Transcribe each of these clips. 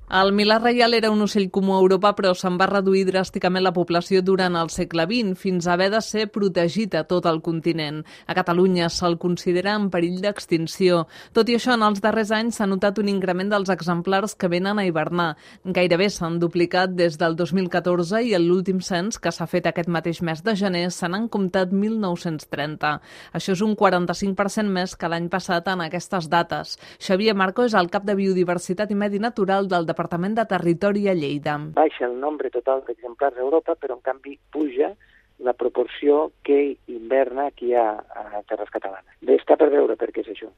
El milà reial era un ocell comú a Europa, però se'n va reduir dràsticament la població durant el segle XX, fins a haver de ser protegit a tot el continent. A Catalunya se'l considera en perill d'extinció. Tot i això, en els darrers anys s'ha notat un increment dels exemplars que venen a hivernar. Gairebé s'han duplicat des del 2014 i en l'últim cens, que s'ha fet aquest mateix mes de gener, se n'han comptat 1.930. Això és un 45% més que l'any passat en aquestes dates. Xavier Marco és el cap de Biodiversitat i Medi Natural del Departament de Territori a Lleida. Baixa el nombre total d'exemplars a Europa, però en canvi puja la proporció que hiverna aquí a terres catalanes. Bé, està per veure per què és això.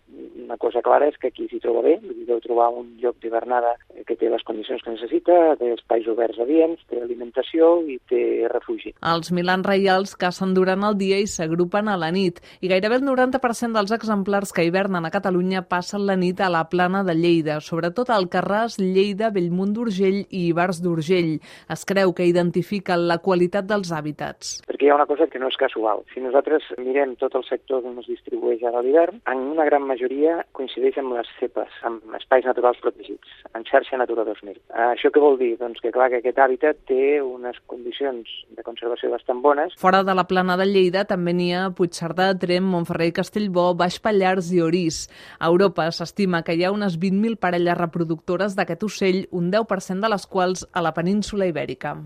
Una cosa clara és que aquí s'hi troba bé, deu trobar un lloc d'hivernada que té les condicions que necessita, té espais oberts adients, té alimentació i té refugi. Els milans reials cacen durant el dia i s'agrupen a la nit, i gairebé el 90% dels exemplars que hivernen a Catalunya passen la nit a la plana de Lleida, sobretot a Alcarràs, Lleida, Bellmunt d'Urgell i Ivars d'Urgell. Es creu que identifiquen la qualitat dels hàbitats. Perquè hi ha una cosa que no és casual. Si nosaltres mirem tot el sector on es distribueix ara l'hivern, en una gran majoria coincideix amb les cepes, amb espais naturals protegits, en xarxa Natura 2000. Això què vol dir? Doncs que clar que aquest hàbitat té unes condicions de conservació bastant bones. Fora de la plana de Lleida també n'hi ha a Puigcerdà, Tremp, Montferrer i Castellbò, Baix Pallars i Orís. A Europa s'estima que hi ha unes 20.000 parelles reproductores d'aquest ocell, un 10% de les quals a la península Ibèrica.